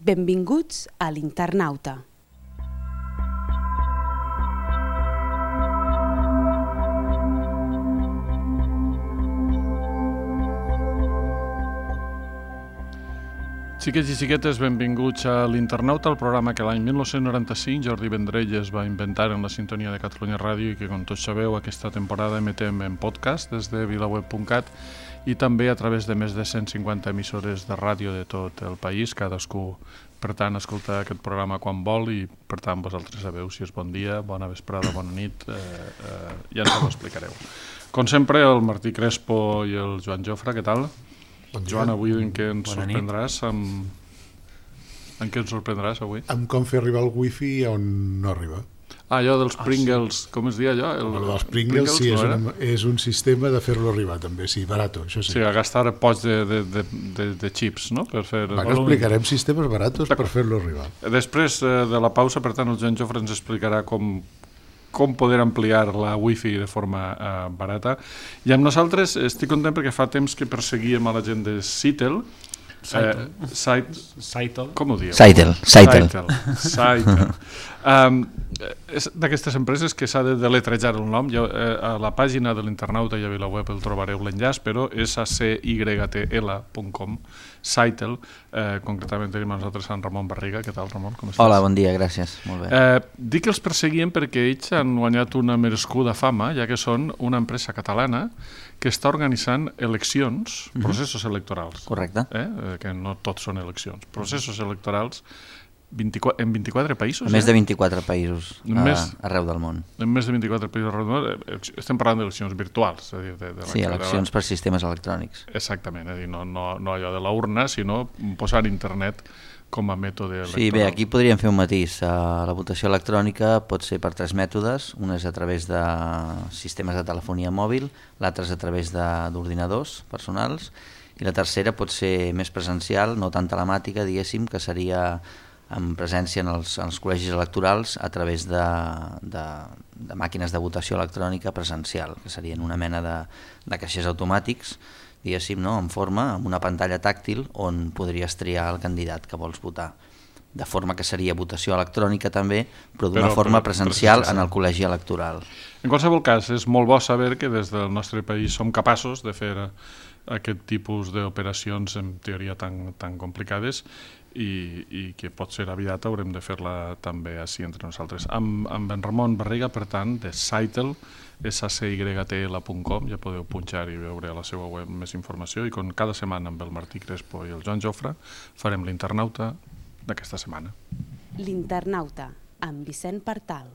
Benvinguts a l'Internauta. Xiquets i xiquetes, benvinguts a l'Internauta, el programa que l'any 1995 Jordi Vendrell es va inventar en la sintonia de Catalunya Ràdio i que, com tots sabeu, aquesta temporada emetem en podcast des de vilaweb.cat i també a través de més de 150 emissores de ràdio de tot el país. Cadascú, per tant, escolta aquest programa quan vol i, per tant, vosaltres sabeu si és bon dia, bona vesprada, bona nit, ja ens ho explicareu. Com sempre, el Martí Crespo i el Joan Jofre, què tal? Bon dia. Joan, avui en què ens sorprendràs? En què ens sorprendràs avui? Amb com fer arribar el wifi on no arriba. Allò dels Pringles, com es deia allò? El dels Pringles sí, és un sistema de fer-lo arribar també, sí, barato, això sí. Sí, a gastar pots de chips, no? Per fer... Bueno, explicarem sistemes baratos per fer-lo arribar. Després de la pausa, per tant, el Joan Jofre ens explicarà com poder ampliar la wifi de forma barata. I amb nosaltres estic content perquè fa temps que perseguíem a la gent de Sitel. Com ho dieu? Sitel. És d'aquestes empreses que s'ha de deletrejar el nom. A la pàgina de l'Internauta i a VilaWeb el trobareu l'enllaç, però és acytl.com, Sitel. Concretament tenim a nosaltres Sant Ramon Barriga. Què tal, Ramon? Com estàs? Hola, bon dia, gràcies. Molt bé. Dic que els perseguien perquè ells han guanyat una merescuda fama, ja que són una empresa catalana que està organitzant eleccions, processos electorals. Correcte. Que no tots són eleccions. Processos electorals en 24 països. En més de 24 països arreu del món. En més de 24 països arreu del món. Estem parlant d'eleccions virtuals. Sí, eleccions per sistemes electrònics. Exactament, és a dir, no allò de la urna, sinó posar internet com a mètode electoral. Sí, bé, aquí podríem fer un matís. La votació electrònica pot ser per tres mètodes. Una és a través de sistemes de telefonia mòbil, l'altra és a través d'ordinadors personals, i la tercera pot ser més presencial, no tan telemàtica, diguéssim, que seria en presència en els col·legis electorals a través de màquines de votació electrònica presencial, que serien una mena de caixers automàtics, diguéssim, no? En forma, amb una pantalla tàctil on podries triar el candidat que vols votar. De forma que seria votació electrònica també, però d'una forma presencial en el col·legi electoral. En qualsevol cas, és molt bo saber que des del nostre país som capaços de fer aquest tipus d'operacions en teoria tan complicades i que pot ser aviat haurem de fer-la també així entre nosaltres. Amb en Ramon Barriga, per tant, de Sitel, sacytl.com, ja podeu punxar i veure a la seva web més informació, i com cada setmana amb el Martí Crespo i el Joan Jofre farem l'Internauta d'aquesta setmana. L'Internauta, amb Vicent Partal.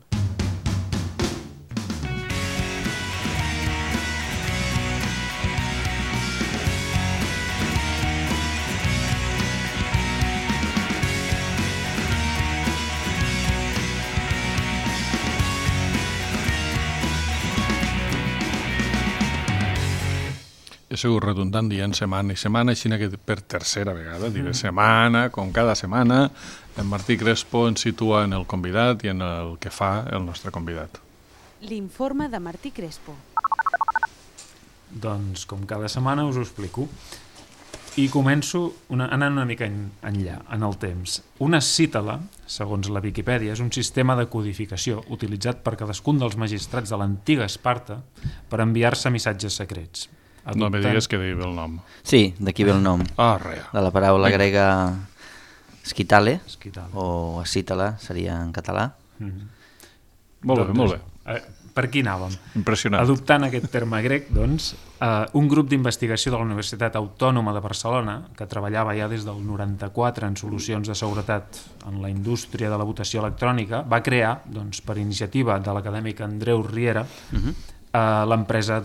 He sigut redundant dient setmana i setmana, així que per tercera vegada diré setmana, com cada setmana, en Martí Crespo ens situa en el convidat i en el que fa el nostre convidat. L'informe de Martí Crespo. Doncs, com cada setmana, us ho explico. I començo anant una mica enllà, en el temps. Una cítala, segons la Viquipèdia, és un sistema de codificació utilitzat per cadascun dels magistrats de l'antiga Esparta per enviar-se missatges secrets. No me digues que diu el nom. Sí, d'aquí ve el nom. Rea. De la paraula grega scitale, o acítala, seria en català. Molt bé. Per aquí anàvem. Impressionant. Adoptant aquest terme grec, doncs, un grup d'investigació de la Universitat Autònoma de Barcelona, que treballava ja des del 94 en solucions de seguretat en la indústria de la votació electrònica, va crear, doncs, per iniciativa de l'acadèmic Andreu Riera, l'empresa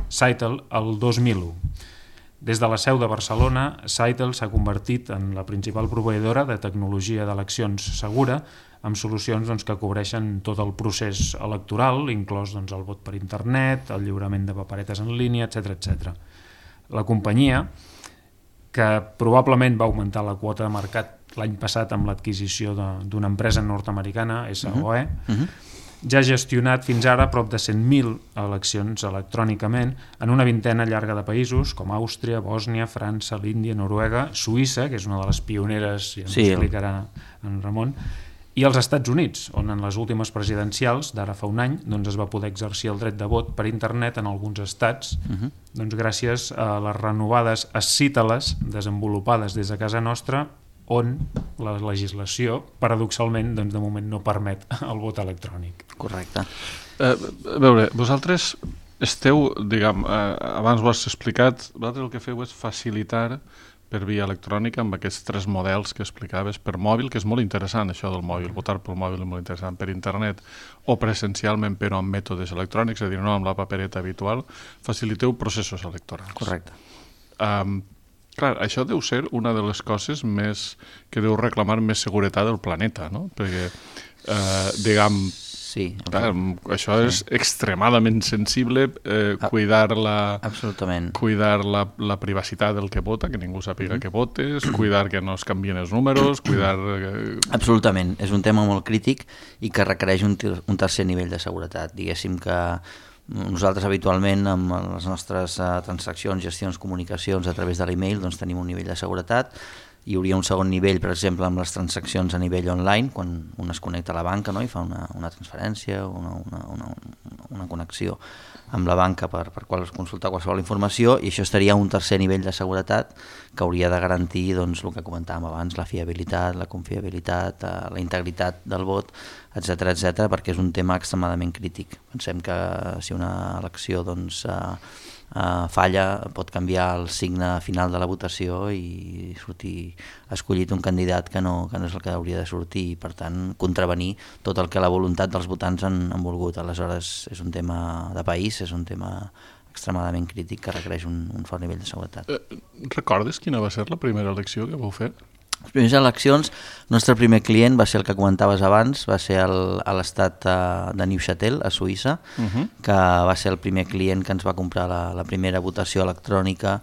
Sitel el 2001. Des de la seu de Barcelona, Sitel s'ha convertit en la principal proveïdora de tecnologia d'eleccions segura, amb solucions que cobreixen tot el procés electoral, inclòs el vot per internet, el lliurament de paperetes en línia, etc. La companyia, que probablement va augmentar la quota de mercat l'any passat amb l'adquisició d'una empresa nord-americana, SOE, ja ha gestionat fins ara prop de 100.000 eleccions electrònicament en una vintena llarga de països com Àustria, Bòsnia, França, l'Índia, Noruega, Suïssa, que és una de les pioneres, ja ens ho explicarà en Ramon, i als Estats Units, on en les últimes presidencials d'ara fa un any es va poder exercir el dret de vot per internet en alguns estats, gràcies a les renovades escíteles desenvolupades des de casa nostra, on la legislació, paradoxalment, de moment no permet el vot electrònic. Correcte. A veure, vosaltres esteu, abans ho has explicat, vosaltres el que feu és facilitar per via electrònica amb aquests 3 models que explicaves per mòbil, que és molt interessant això del mòbil, votar pel mòbil és molt interessant, per internet o presencialment però amb mètodes electrònics, és a dir, no amb la papereta habitual, faciliteu processos electorals. Correcte. Clar, això deu ser una de les coses més que deu reclamar més seguretat del planeta, no? Perquè, sí, clar, això és extremadament sensible, cuidar la privacitat del que vota, que ningú sàpiga que votes, cuidar que no es canvien els números, cuidar... Absolutament, és un tema molt crític i que requereix un tercer nivell de seguretat. Diguéssim que nosaltres habitualment amb les nostres transaccions, gestions, comunicacions a través de l'email tenim un nivell de seguretat. Hi hauria un segon nivell, per exemple, amb les transaccions a nivell online, quan un es connecta a la banca i fa una transferència, una connexió amb la banca per consultar qualsevol informació, i això estaria un tercer nivell de seguretat que hauria de garantir el que comentàvem abans, la fiabilitat, la confiabilitat, la integritat del vot, etc, perquè és un tema extremadament crític. Pensem que si una elecció falla pot canviar el signe final de la votació i sortir escollit un candidat que no és el que hauria de sortir i per tant contravenir tot el que la voluntat dels votants han volgut. Aleshores és un tema de país, és un tema extremadament crític que requereix un fort nivell de seguretat. Recordes quina va ser la primera elecció que vau fer? Les primeres eleccions, el nostre primer client va ser el que comentaves abans, va ser a l'estat de Neuchâtel, a Suïssa, que va ser el primer client que ens va comprar la primera votació electrònica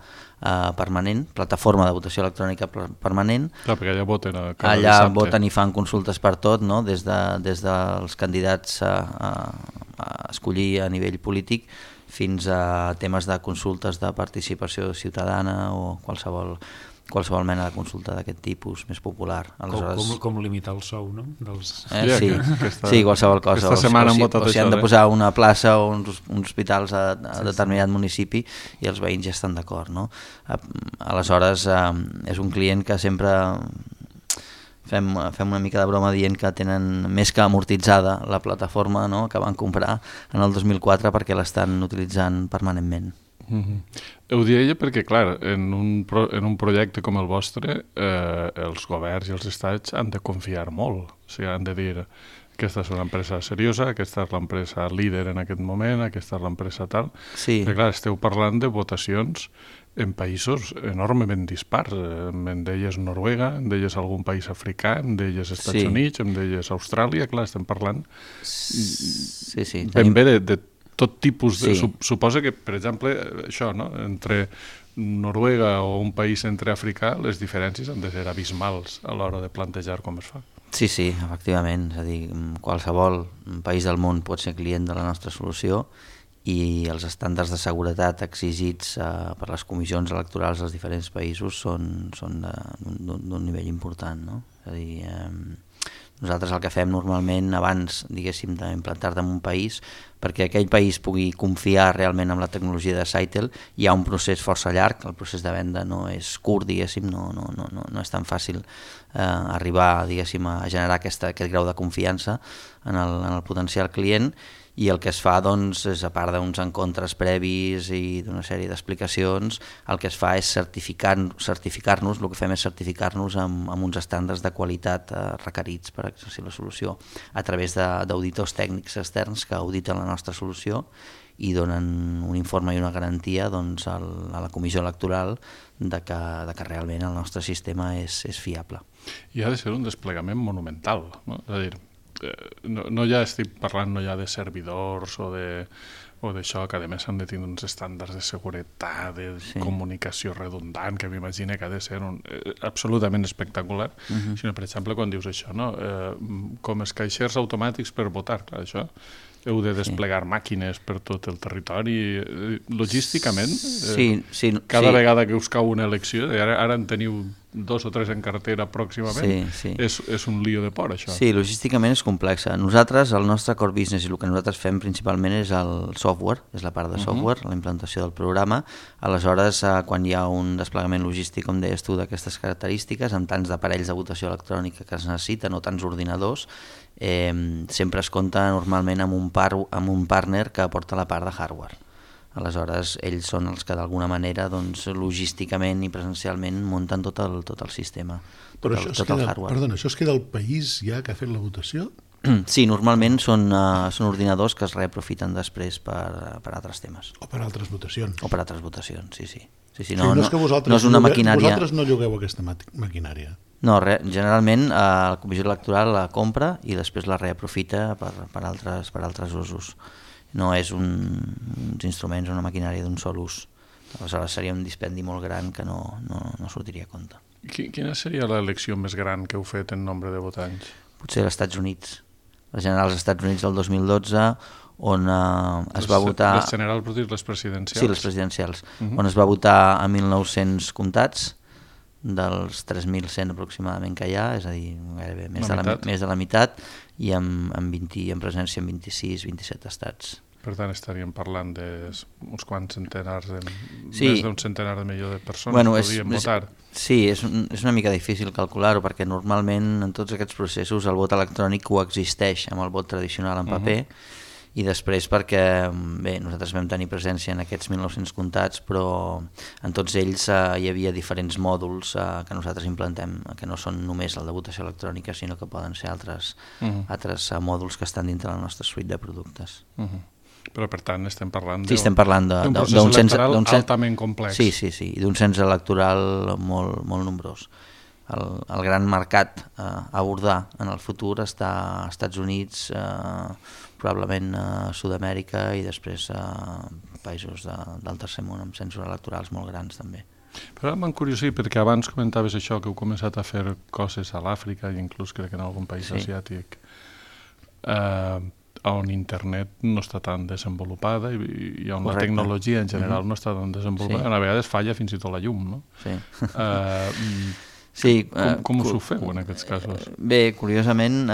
permanent, plataforma de votació electrònica permanent. Clar, perquè allà voten allà voten i fan consultes per tot, no? des dels candidats a escollir a nivell polític fins a temes de consultes de participació ciutadana o qualsevol mena de consulta d'aquest tipus més popular. Com limitar el sou, no? Sí, qualsevol cosa. Aquesta setmana han votat això. O si han de posar una plaça o uns hospitals a determinat municipi i els veïns ja estan d'acord, no? Aleshores, és un client que sempre fem una mica de broma dient que tenen més que amortitzada la plataforma, no?, que van comprar en el 2004 perquè l'estan utilitzant permanentment. Ho deia perquè, clar, en un projecte com el vostre, els governs i els estats han de confiar molt. O sigui, han de dir, aquesta és una empresa seriosa, aquesta és l'empresa líder en aquest moment, aquesta és l'empresa tal. Sí. Perquè, clar, esteu parlant de votacions en països enormement dispars. Em deies Noruega, em deies algun país africà, em deies Estats Units, em deies Austràlia. Clar, estem parlant ben bé de tot tipus de... Suposa que, per exemple, això, no? Entre Noruega o un país centreafricà, les diferències han de ser abismals a l'hora de plantejar com es fa. Sí, efectivament. És a dir, qualsevol país del món pot ser client de la nostra solució i els estàndards de seguretat exigits per les comissions electorals dels diferents països són d'un nivell important, no? És a dir, nosaltres el que fem normalment abans, diguéssim, d'implantar-te en un país, perquè aquell país pugui confiar realment en la tecnologia de Sitel, hi ha un procés força llarg, el procés de venda no és curt, diguéssim, no és tan fàcil arribar, diguéssim, a generar aquest grau de confiança en el potencial client, i el que es fa, doncs, és, a part d'uns encontres previs i d'una sèrie d'explicacions, el que es fa és certificar-nos, el que fem és certificar-nos amb uns estàndards de qualitat requerits per exercir la solució a través d'auditors tècnics externs que auditen la nostra solució i donen un informe i una garantia, doncs, a la comissió electoral de que realment el nostre sistema és fiable. I ha de ser un desplegament monumental, no? És a dir, no ja estic parlant no ja de servidors o d'això, que a més han de tenir uns estàndards de seguretat, de comunicació redundant, que m'imagino que ha de ser absolutament espectacular, sinó, per exemple, quan dius això, no? Com els caixers automàtics per votar, clar, això heu de desplegar màquines per tot el territori, logísticament, cada vegada que us cau una elecció, ara en teniu 2 o 3 en cartera pròximament, és un lío de por, això. Sí, logísticament és complexa. Nosaltres, el nostre core business i el que nosaltres fem principalment és el software, és la part de software, la implantació del programa. Aleshores, quan hi ha un desplegament logístic, com deies tu, d'aquestes característiques, amb tants d'aparells de votació electrònica que es necessiten o tants ordinadors, sempre es compta normalment amb un partner que aporta la part de hardware. Aleshores, ells són els que d'alguna manera logísticament i presencialment munten tot el sistema, tot el hardware. Perdona, això es queda al país ja que ha fet la votació? Sí, normalment són ordinadors que es reaprofiten després per altres temes. O per altres votacions. O per altres votacions, sí. No és una maquinària. Vosaltres no llogueu aquesta maquinària? No, generalment la comissió electoral la compra i després la reaprofita per altres usos. No és uns instruments o una maquinària d'un sol ús. Aleshores seria un dispendi molt gran que no sortiria a compte. Quina seria l'elecció més gran que heu fet en nombre de votants? Potser als Estats Units. Les generals als Estats Units del 2012, on es va votar... Les generals, vols dir, les presidencials? Sí, les presidencials. On es va votar a 1.900 comtats, dels 3.100 aproximadament que hi ha, és a dir, gairebé més de la meitat, i amb presència en 26-27 estats. Per tant, estaríem parlant d'uns quants centenars, més d'un centenar de milió de persones que podrien votar. Sí, és una mica difícil calcular-ho, perquè normalment en tots aquests processos el vot electrònic coexisteix amb el vot tradicional en paper, i després perquè nosaltres vam tenir presència en aquests 1.900 comptats, però en tots ells hi havia diferents mòduls que nosaltres implantem, que no són només el de votació electrònica, sinó que poden ser altres mòduls que estan dintre la nostra suite de productes. Però per tant estem parlant estem parlant d'un procés electoral altament complex. Sí, d'un cens electoral molt nombrós. El gran mercat a abordar en el futur està als Estats Units, probablement a Sud-amèrica i després a països del tercer món amb censos electorals molt grans també. Però m'encuriosi perquè abans comentaves això, que heu començat a fer coses a l'Àfrica i inclús crec que en algun país asiàtic on internet no està tan desenvolupada i on la tecnologia en general no està tan desenvolupada, a vegades falla fins i tot la llum, no? Sí. Com us ho feu en aquests casos? Bé, curiosament,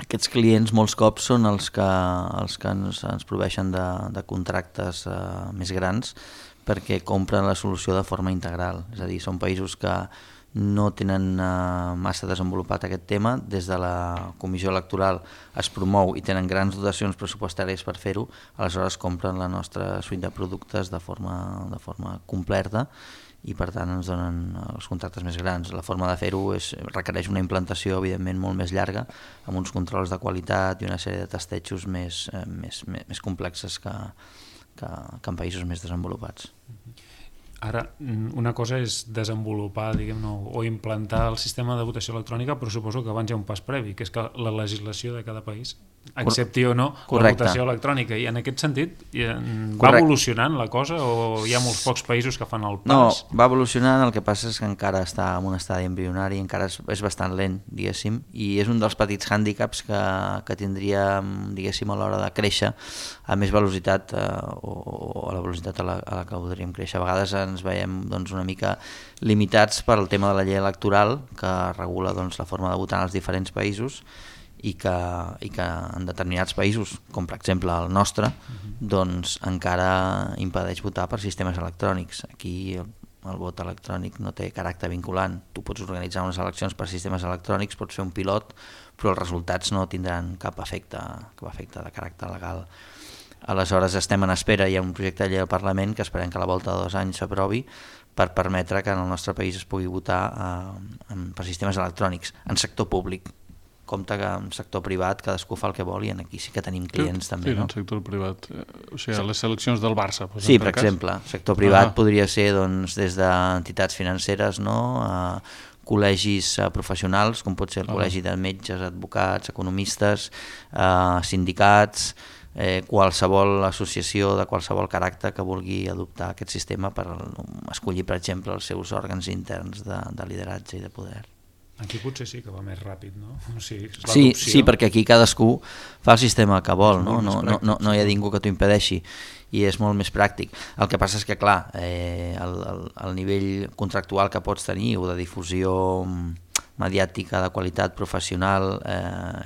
aquests clients molts cops són els que ens proveixen de contractes més grans perquè compren la solució de forma integral. És a dir, són països que no tenen massa desenvolupat aquest tema. Des de la comissió electoral es promou i tenen grans dotacions pressupostàries per fer-ho, aleshores compren la nostra suite de productes de forma completa i per tant ens donen els contractes més grans. La forma de fer-ho requereix una implantació evidentment molt més llarga, amb uns controls de qualitat i una sèrie de testejos més complexes que en països més desenvolupats. Ara, una cosa és desenvolupar, diguem-ne, o implantar el sistema de votació electrònica, però suposo que abans hi ha un pas previ, que és que la legislació de cada país accepti o no la votació electrònica. I en aquest sentit, va evolucionant la cosa o hi ha molts pocs països que fan el pas? No, va evolucionant, el que passa és que encara està en un estadi embrionari, encara és bastant lent, diguéssim, i és un dels petits hàndicaps que tindríem, diguéssim, a l'hora de créixer a més velocitat o a la velocitat a la que podríem créixer. A vegades ens veiem una mica limitats per al tema de la llei electoral que regula la forma de votar en els diferents països i que en determinats països, com per exemple el nostre, encara impedeix votar per sistemes electrònics. Aquí el vot electrònic no té caràcter vinculant. Tu pots organitzar unes eleccions per sistemes electrònics, pots fer un pilot, però els resultats no tindran cap efecte de caràcter legal. Aleshores estem en espera, hi ha un projecte de llei al Parlament que esperem que a la volta de 2 anys s'aprovi per permetre que en el nostre país es pugui votar per sistemes electrònics en sector públic. Compte que en sector privat cadascú fa el que vol i aquí sí que tenim clients també. Sí, en el sector privat. O sigui, les seleccions del Barça. Sí, per exemple. Sector privat podria ser des d'entitats financeres, col·legis professionals, com pot ser el col·legi de metges, advocats, economistes, sindicats, qualsevol associació de qualsevol caràcter que vulgui adoptar aquest sistema per escollir, per exemple, els seus òrgans interns de lideratge i de poder. Aquí potser sí que va més ràpid, no? O sigui, sí, perquè aquí cadascú fa el sistema que vol, no hi ha ningú que t'ho impedeixi, i és molt més pràctic. El que passa és que, clar, el nivell contractual que pots tenir o de difusió mediàtica de qualitat professional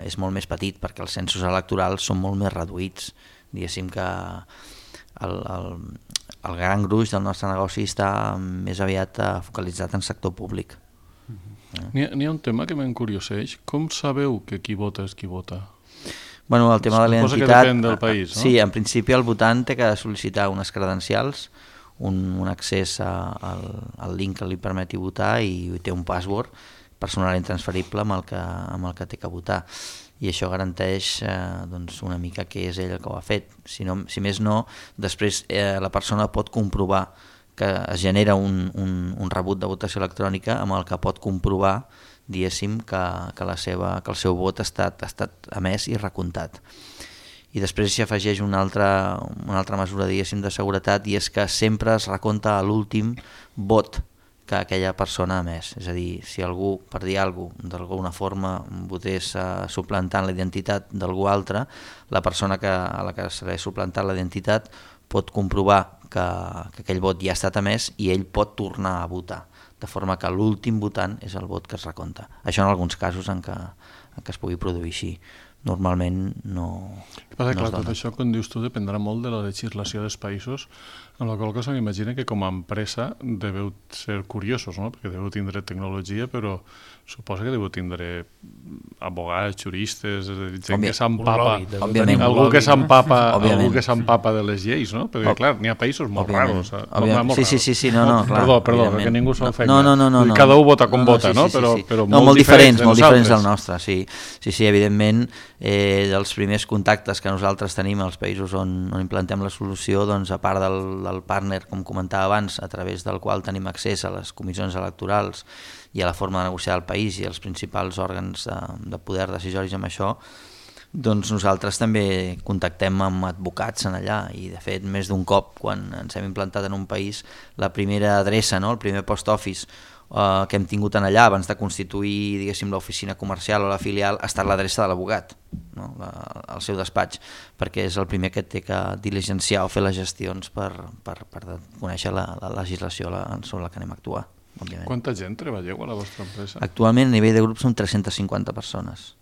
és molt més petit, perquè els censos electorals són molt més reduïts. Diguéssim que el gran gruix del nostre negoci està més aviat focalitzat en sector públic. N'hi ha un tema que m'encurioseix. Com sabeu que qui vota és qui vota? Bueno, el tema de la Suposo identitat... que depèn del país, no? Sí, en principi el votant té que sol·licitar unes credencials, un accés al link que li permeti votar, i té un password personal intransferible amb el que té que votar. I això garanteix una mica que és ell el que ho ha fet. Si més no, després la persona pot comprovar que es genera un rebut de votació electrònica amb el que pot comprovar, diguéssim, que el seu vot ha estat emès i recomptat. I després s'hi afegeix una altra mesura, diguéssim, de seguretat, i és que sempre es recompta a l'últim vot que aquella persona ha emès. És a dir, si algú, per dir alguna cosa, d'alguna forma votés suplantant la identitat d'algú altre, la persona a la que s'ha suplantat la identitat pot comprovar que aquell vot ja ha estat emès i ell pot tornar a votar, de forma que l'últim votant és el vot que es recompta. Això en alguns casos en què es pugui produir així. Normalment no es dona. Tot això, com dius tu, dependrà molt de la legislació dels països, amb la qual cosa m'imagino que com a empresa deveu ser curiosos, no? Perquè deveu tindre tecnologia, però suposo que deveu tindre advocats, juristes, gent que s'empapa, algú que s'empapa de les lleis, no? Perquè, clar, n'hi ha països molt raros. Sí, no, clar. Perdó, perquè ningú s'ofengui. No. Cada un vota com vota, no? Però molt diferents del nostre, sí. Sí, evidentment, dels primers contactes que nosaltres tenim als països on implantem la solució, doncs, a part del partner, com comentava abans, a través del qual tenim accés a les comissions electorals i a la forma de negociar del país i els principals òrgans de poder decisoris amb això, doncs nosaltres també contactem amb advocats en allà, i de fet més d'un cop, quan ens hem implantat en un país, la primera adreça, no? El primer post office que hem tingut en allà abans de constituir, diguéssim, l'oficina comercial o la filial, ha estat l'adreça de l'advocat, no? El seu despatx, perquè és el primer que té que diligenciar o fer les gestions per conèixer la legislació sobre la que anem a actuar, òbviament. Quanta gent treballeu a la vostra empresa? Actualment a nivell de grup són 350 persones.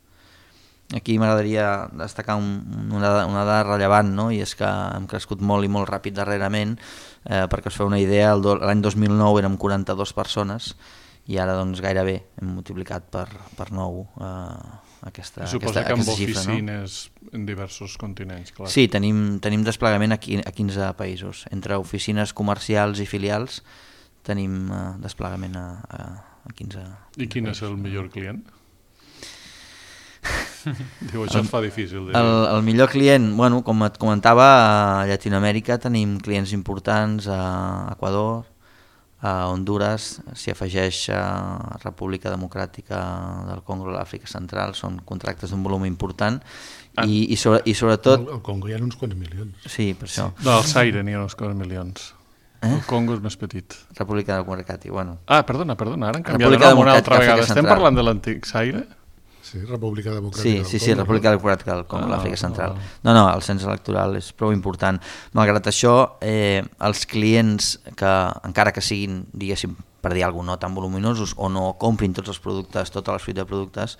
Aquí m'agradaria destacar una dada rellevant, no? I és que hem crescut molt i molt ràpid darrerament, perquè us feu una idea, l'any 2009 érem 42 persones i ara doncs gairebé hem multiplicat per 9 aquesta xifra. Suposo que amb oficines en diversos continents, clar. Sí, tenim desplegament a 15 països. Entre oficines comercials i filials tenim desplegament a 15 països. I quin és el millor client? Diu, això es fa difícil. El millor client, bueno, com et comentava, a Llatinoamèrica tenim clients importants, a Equador, a Honduras, s'hi afegeix a República Democràtica del Congo i l'Àfrica Central, són contractes d'un volum important, i sobretot... Al Congo hi ha uns quants milions. Sí, per això. No, al Zaire n'hi ha uns quants milions. El Congo és més petit. República Democràtica, bueno. Perdona, ara han canviat de nom una altra vegada. Estem parlant de l'antic Zaire? Sí, República Democràtica. Sí, República Democràtica del Congo, l'Àfrica Central. No, el cens electoral és prou important. Malgrat això, els clients que, encara que siguin, diguéssim, per dir alguna cosa, no tan voluminosos o no comprin tots els productes, tota la suite de productes,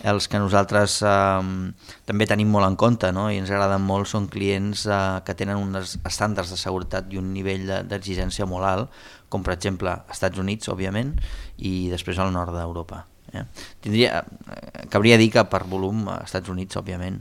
els que nosaltres també tenim molt en compte, no? I ens agraden molt, són clients que tenen uns estàndards de seguretat i un nivell d'exigència molt alt, com per exemple Estats Units, òbviament, i després al nord d'Europa. Cabria dir que per volum als Estats Units, òbviament,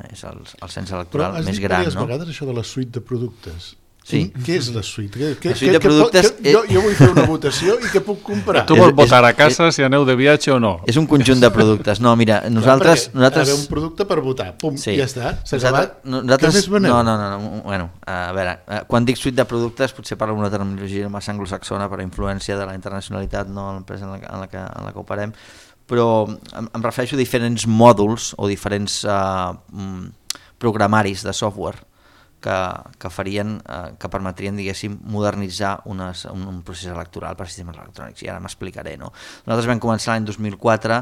és el cens electoral més gran. Però has dit diverses vegades això de la suite de productes. Sí. Què és la suite? La suite de productes... Jo vull fer una votació i què puc comprar? Tu vols votar a casa si aneu de viatge o no? És un conjunt de productes. No, mira, nosaltres... Ha d'haver un producte per votar. Pum, sí. ja està. S'ha acabat. Nosaltres... Què més veneu? No. Bueno, a veure, quan dic suite de productes potser parlo d'una terminologia massa anglosaxona per la influència de la internacionalitat, no, a l'empresa en la que operem, però em refereixo a diferents mòduls o diferents programaris de software que farien, que permetrien, diguéssim, modernitzar un procés electoral per sistemes electrònics, i ara m'explicaré, no? Nosaltres vam començar l'any 2004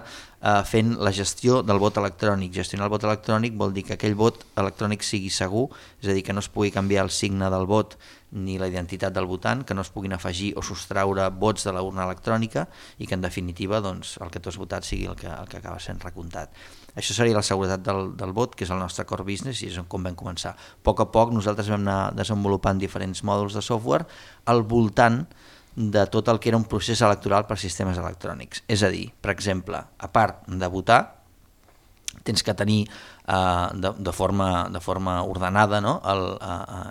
fent la gestió del vot electrònic. Gestionar el vot electrònic vol dir que aquell vot electrònic sigui segur, és a dir, que no es pugui canviar el signe del vot ni la identitat del votant, que no es puguin afegir o sostraure vots de la urna electrònica i que en definitiva doncs, el que tu has votat sigui el que acaba sent recomptat. Això seria la seguretat del vot, que és el nostre core business i és com vam començar. A poc nosaltres vam anar desenvolupant diferents mòduls de software al voltant de tot el que era un procés electoral per sistemes electrònics. És a dir, per exemple, a part de votar, tens que tenir de forma ordenada, no?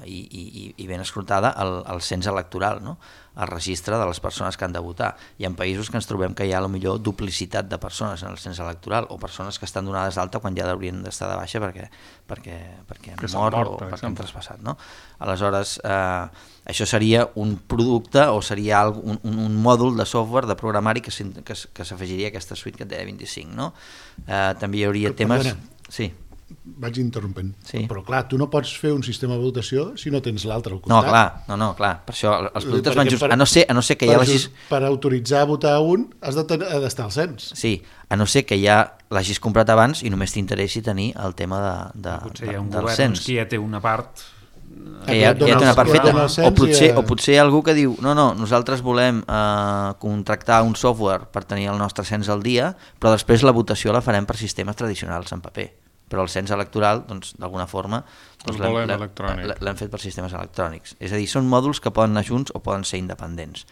I ben escrutada el cens electoral, no? El registre de les persones que han de votar. Hi ha països que ens trobem que hi ha potser duplicitat de persones en el cens electoral o persones que estan donades d'alta quan ja haurien d'estar de baixa perquè han mort o perquè han traspassat, no? Aleshores, això seria un producte o seria un mòdul de software, de programari que s'afegiria a aquesta suite que et deia 25, no? També hi hauria temes... Sí. Vaig interrompent. Sí. Però clar, tu no pots fer un sistema de votació si no tens l'altre al costat. No, clar. Per això els productes van just... A no ser que hi ha per autoritzar a votar un has d'estar al cens. Sí, a no ser que ja l'hagis comprat abans i només t'interessi tenir el tema potser hi ha un del govern cens. Que ja té una part... Que ja té una part feta. O potser algú que diu no, nosaltres volem contractar un software per tenir el nostre cens al dia, però després la votació la farem per sistemes tradicionals en paper. Però el cens electoral, doncs, d'alguna forma, l'hem fet per sistemes electrònics. És a dir, són mòduls que poden anar junts o poden ser independents.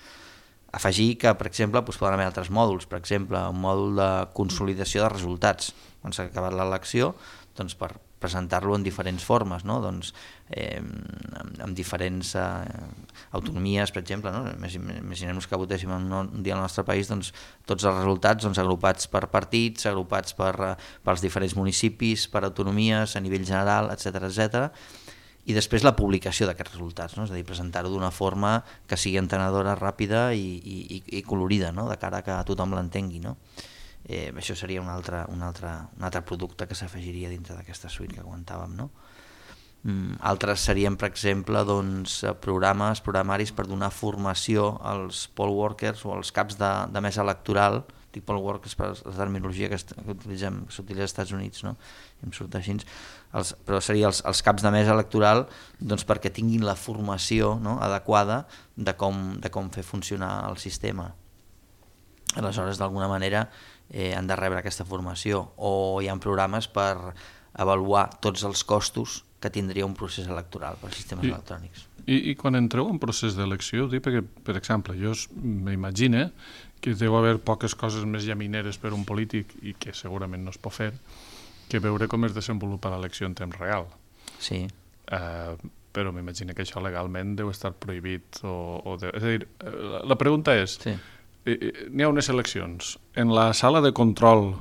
Afegir que, per exemple, poden haver altres mòduls, per exemple, un mòdul de consolidació de resultats. Quan s'ha acabat l'elecció, doncs per presentar-lo en diferents formes, no? Doncs, amb diferents autonomies, per exemple, no? Imaginem-nos que votéssim un dia al nostre país, doncs, tots els resultats agrupats per partits, agrupats pels diferents municipis, per autonomies, a nivell general, etc. I després la publicació d'aquests resultats, no? És a dir, presentar-ho d'una forma que sigui entenedora, ràpida i colorida, no? De cara que tothom l'entengui, no? Això seria un altre producte que s'afegiria dintre d'aquesta suite que comentàvem, no? Altres serien, per exemple, doncs, programaris per donar formació als poll workers o als caps de mesa electoral. Dic poll workers per la terminologia que s'utilitza als Estats Units, no? Em surt així. Però seria els caps de mesa electoral, doncs, perquè tinguin la formació, no? Adequada de com fer funcionar el sistema. Aleshores, d'alguna manera, han de rebre aquesta formació, o hi ha programes per avaluar tots els costos que tindria un procés electoral per sistemes electrònics. I quan entreu en procés d'elecció, perquè, per exemple, jo m'imagino que deu haver poques coses més llamineres per un polític i que segurament no es pot fer que veure com es desenvolupa l'elecció en temps real. Sí. Però m'imagino que això legalment deu estar prohibit. És a dir, la pregunta és... Sí. N'hi ha unes eleccions. En la sala de control,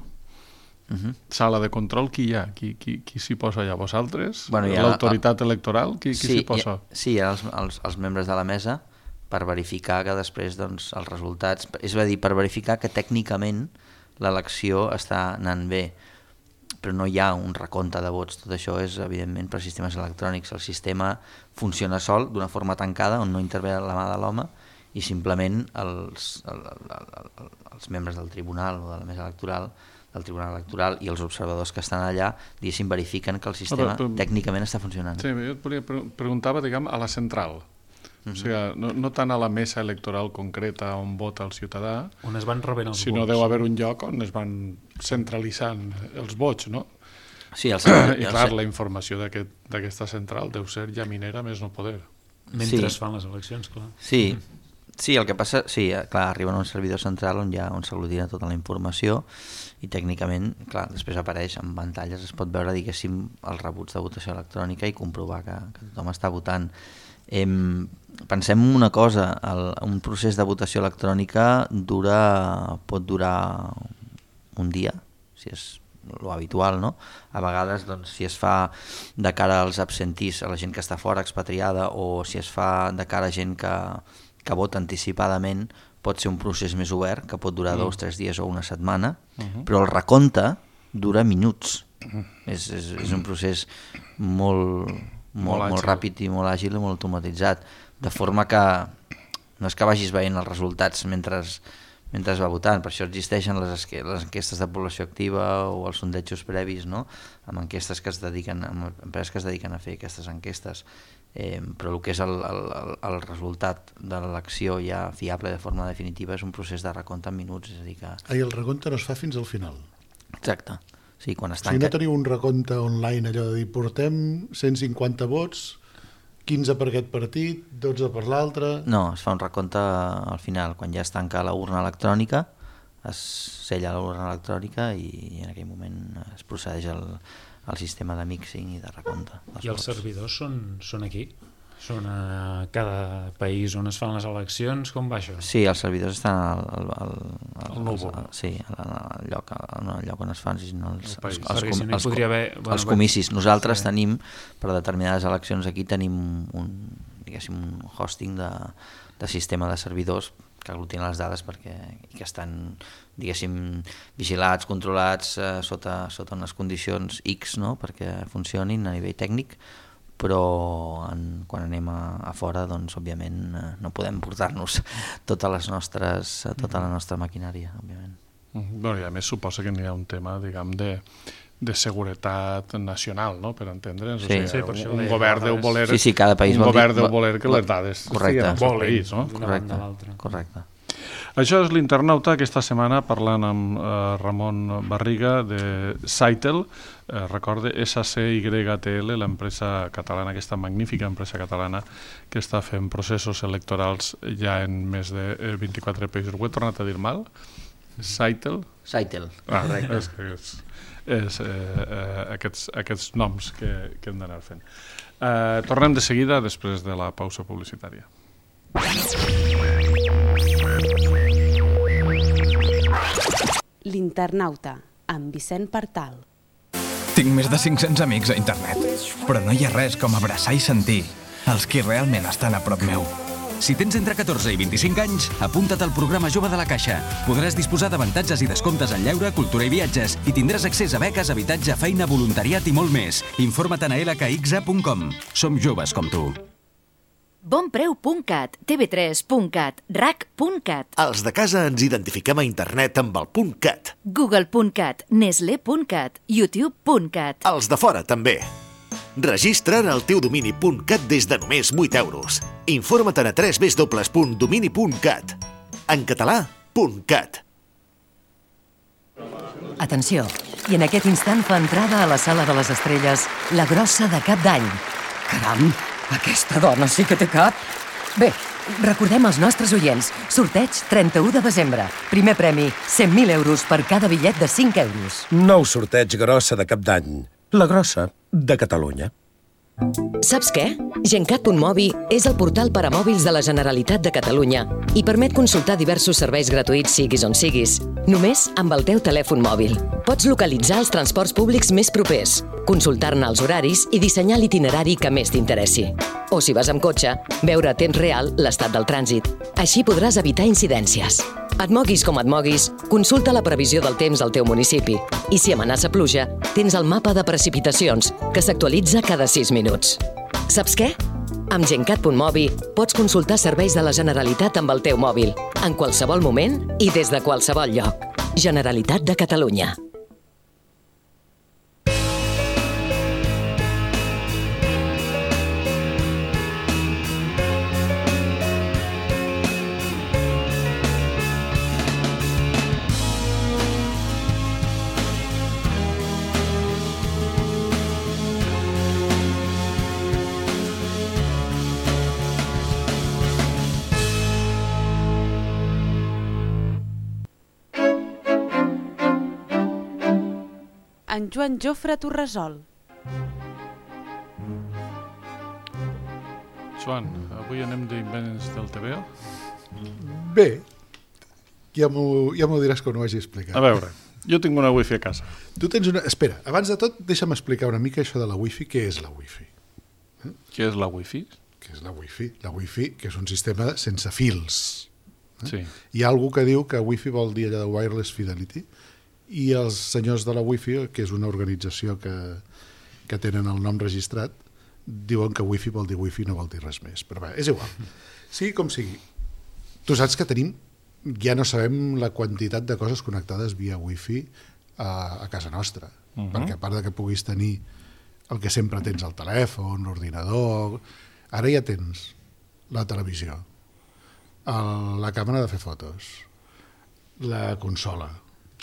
qui hi ha? Qui s'hi posa allà? Vosaltres? L'autoritat electoral? Qui s'hi posa? Sí, hi ha els membres de la mesa per verificar que després els resultats... És a dir, per verificar que tècnicament l'elecció està anant bé, però no hi ha un recompte de vots. Tot això és, evidentment, per sistemes electrònics. El sistema funciona sol, d'una forma tancada, on no intervé la mà de l'home, i simplement els membres del tribunal o de la mesa electoral, del tribunal electoral i els observadors que estan allà, diguéssim, verifiquen que el sistema tècnicament està funcionant. Sí, jo et preguntava, diguem, a la central. O sigui, no tant a la mesa electoral concreta on vota el ciutadà, on es van rebent els vots. Sinó deu haver un lloc on es van centralitzant els vots, no? Sí, i clar, la informació d'aquesta central deu ser llaminera més no poder. Mentre es fan les eleccions, clar. Sí, el que passa, clar, arriben a un servidor central on s'aglutina tota la informació i tècnicament, clar, després apareix en pantalles, es pot veure, diguéssim, els rebuts de votació electrònica i comprovar que tothom està votant. Pensem una cosa, un procés de votació electrònica pot durar un dia, si és lo habitual, no? A vegades, doncs, si es fa de cara als absentís, a la gent que està fora, expatriada, o si es fa de cara a gent que vota anticipadament, pot ser un procés més obert, que pot durar 2 o 3 dies o una setmana, però el recompte dura minuts. És un procés molt ràpid i molt àgil i molt automatitzat, de forma que no és que vagis veient els resultats mentre va votant. Per això existeixen les enquestes de població activa o els sondejos previs, no? Amb empreses que es dediquen a fer aquestes enquestes, però el que és el resultat de l'elecció ja fiable de forma definitiva és un procés de recompte en minuts. És a dir que... I el recompte no es fa fins al final. Exacte. Sí, quan Si no teniu un recompte online, allò de dir portem 150 vots, 15 per aquest partit, 12 per l'altre... No, es fa un recompte al final, quan ja es tanca la urna electrònica, es sella l'urna electrònica i en aquell moment es procedeix al sistema de mixing i de recompte. I els servidors són aquí? Són a cada país on es fan les eleccions? Com va això? Sí, els servidors estan al núvol. Sí, al lloc on es fan els comicis. Nosaltres tenim, per determinades eleccions aquí, tenim un hosting de sistema de servidors que aglutinen les dades que estan, diguéssim, vigilats, controlats sota unes condicions X, no?, perquè funcionin a nivell tècnic, però quan anem a fora, doncs, òbviament, no podem portar-nos tota la nostra maquinària, òbviament. Bueno, i a més suposa que n'hi ha un tema, diguem, de seguretat nacional, no?, per entendre'ns. Sí. O sigui, un govern deu voler... Sí, cada país un govern deu voler que les dades estiguin al seu país, no? Correcte. Això és l'Internauta, aquesta setmana parlant amb Ramon Barriga de Sitel, recorde SCYTL, l'empresa catalana, aquesta magnífica empresa catalana que està fent processos electorals ja en més de 24 països. Ho he tornat a dir mal? Sitel? Sitel, correcte. És aquests noms que hem d'anar fent. Tornem de seguida després de la pausa publicitària. L'Internauta, amb Vicent Partal. Tinc més de 500 amics a internet, però no hi ha res com abraçar i sentir els qui realment estan a prop meu. Si tens entre 14 i 25 anys, apunta't al programa Jove de la Caixa. Podràs disposar d'avantatges i descomptes en lleure, cultura i viatges i tindràs accés a beques, habitatge, feina, voluntariat i molt més. Informa't a lkxa.com. Som joves com tu. Bonpreu.cat, tv3.cat, rac.cat. Els de casa ens identifiquem a internet amb el .cat. Google.cat, Nestlé.cat, YouTube.cat. Els de fora també. Registra't al teu domini .cat des de només 8 euros. Informa't a www.domini.cat. En català, .cat. Atenció, i en aquest instant fa entrada a la sala de les estrelles la grossa de Cap d'Any. Caram, aquesta dona sí que té cap. Bé, recordem als nostres oients, sorteig 31 de desembre. Primer premi, 100.000 euros per cada bitllet de 5 euros. Nou sorteig grossa de Cap d'Any. La grossa de Catalunya. Saps què? Gencat.mobi és el portal per a mòbils de la Generalitat de Catalunya i permet consultar diversos serveis gratuïts siguis on siguis, només amb el teu telèfon mòbil. Pots localitzar els transports públics més propers, consultar-ne els horaris i dissenyar l'itinerari que més t'interessi. O si vas amb cotxe, veure a temps real l'estat del trànsit. Així podràs evitar incidències. Et moguis com et moguis, consulta la previsió del temps al teu municipi. I si amenaça pluja, tens el mapa de precipitacions, que s'actualitza cada 6 minuts. Saps què? Amb Gencat.mobi pots consultar serveis de la Generalitat amb el teu mòbil, en qualsevol moment i des de qualsevol lloc. Generalitat de Catalunya. En Joan Jofre Torresol. Joan, avui anem d'invents del TVO? Bé, ja m'ho diràs quan ho hagi explicat. A veure, jo tinc una wifi a casa. Tu tens una... Espera, abans de tot, deixa'm explicar una mica això de la wifi. Què és la wifi? Què és la wifi? Què és la wifi? La wifi, que és un sistema sense fils. Sí. Hi ha algú que diu que wifi vol dir allà de wireless fidelity, i els senyors de la wifi, que és una organització que tenen el nom registrat, diuen que wifi vol dir wifi, no vol dir res més. Però bé, és igual. Sigui com sigui. Tu saps que tenim, ja no sabem la quantitat de coses connectades via wifi a casa nostra. Perquè a part de que puguis tenir el que sempre tens al telèfon, l'ordinador, ara ja tens la televisió, la càmera de fer fotos, la consola,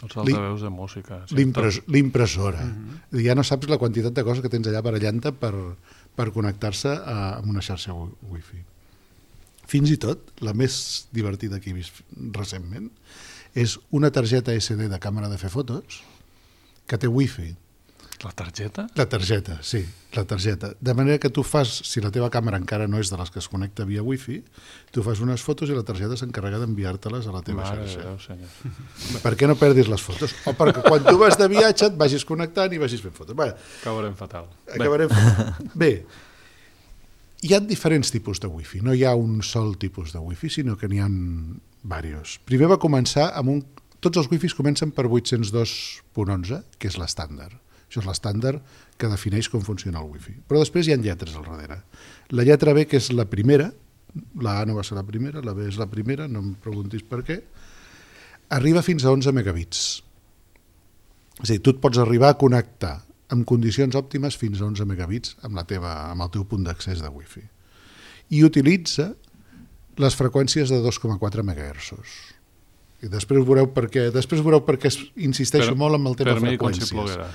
els altaveus de música, l'impressora. Ja no saps la quantitat de coses que tens allà barallant-te per connectar-se amb una xarxa wifi. Fins i tot, la més divertida que he vist recentment és una targeta SD de càmera de fer fotos que té wifi. La targeta? La targeta, sí, la targeta. De manera que tu fas, si la teva càmera encara no és de les que es connecta via wifi, tu fas unes fotos i la targeta s'encarrega d'enviar-te-les a la teva xarxa. Per què no perdis les fotos? O perquè quan tu vas de viatge et vagis connectant i vagis fent fotos. Acabarem fatal. Bé, hi ha diferents tipus de wifi. No hi ha un sol tipus de wifi, sinó que n'hi ha diversos. Primer va començar amb tots els wifis comencen per 802.11, que és l'estàndard. Això és l'estàndard que defineix com funciona el wifi. Però després hi ha lletres al darrere. La lletra B, que és la primera, la A no va ser la primera, la B és la primera, no em preguntis per què, arriba fins a 11 megabits. És a dir, tu et pots arribar a connectar en condicions òptimes fins a 11 megabits amb el teu punt d'accés de wifi. I utilitza les freqüències de 2,4 MHz. I després veureu per què insisteixo molt amb el tema de freqüències. Per mi com si ploguerà.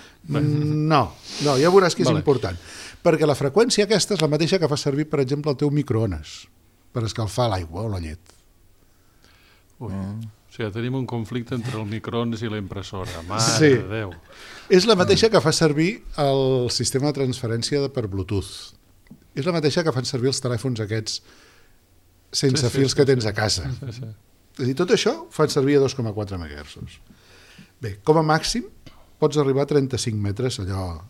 No, ja veuràs que és important. Perquè la freqüència aquesta és la mateixa que fa servir, per exemple, el teu microones per escalfar l'aigua o la llet. O sigui, tenim un conflicte entre el microones i la impressora. Mare de Déu. És la mateixa que fa servir el sistema de transferència per Bluetooth. És la mateixa que fan servir els telèfons aquests sense fils que tens a casa. És a dir, tot això fan servir a 2,4 MHz. Bé, com a màxim pots arribar a 35 metres, allò,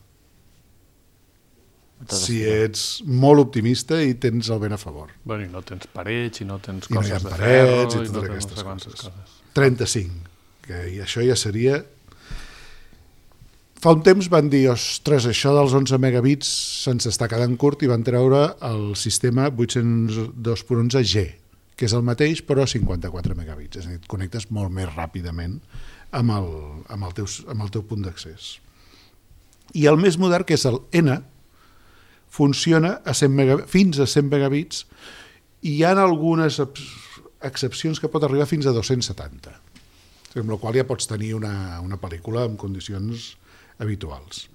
si ets molt optimista i tens el vent a favor. Bueno, i no tens parets, i no tens coses de ferro, parets, i totes aquestes coses. 35, que això ja seria... Fa un temps van dir, ostres, això dels 11 megabits se'ns està quedant curt, i van treure el sistema 802.11G, que és el mateix però 54 megabits, és a dir, et connectes molt més ràpidament amb el teu punt d'accés. I el més modern, que és el N, funciona fins a 100 megabits, i hi ha algunes excepcions que pot arribar fins a 270, amb la qual ja pots tenir una pel·lícula en condicions habituals.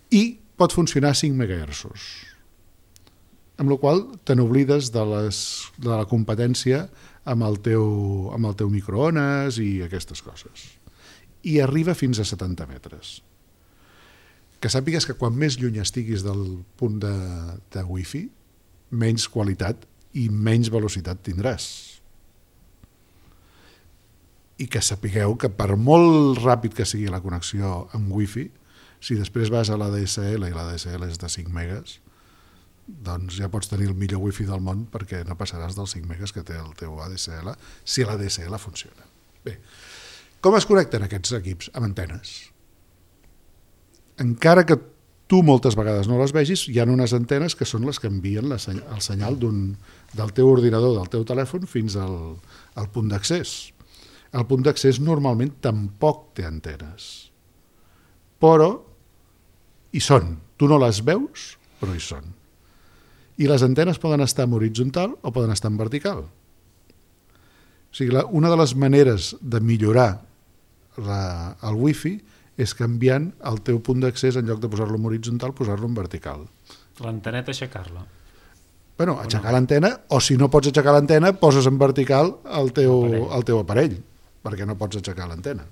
I pot funcionar a 5 MHz, amb la qual te n'oblides de la competència amb el teu microones i aquestes coses. I arriba fins a 70 metres. Que sàpigues que quan més lluny estiguis del punt de wifi, menys qualitat i menys velocitat tindràs. I que sapigueu que per molt ràpid que sigui la connexió amb wifi, si després vas a la DSL i la DSL és de 5 megas, doncs ja pots tenir el millor wifi del món, perquè no passaràs dels 5 megas que té el teu ADSL si l'ADSL funciona. Bé, com es connecten aquests equips? Amb antenes. Encara que tu moltes vegades no les vegis, hi ha unes antenes que són les que envien el senyal del teu ordinador, del teu telèfon, fins al punt d'accés. El punt d'accés normalment tampoc té antenes, però hi són. Tu no les veus, però hi són. I les antenes poden estar en horitzontal o poden estar en vertical. O sigui, una de les maneres de millorar el wifi és canviant el teu punt d'accés, en lloc de posar-lo en horitzontal, posar-lo en vertical. L'anteneta, aixecar-la. Bueno, aixecar l'antena, o si no pots aixecar l'antena, poses en vertical el teu aparell, perquè no pots aixecar l'antena.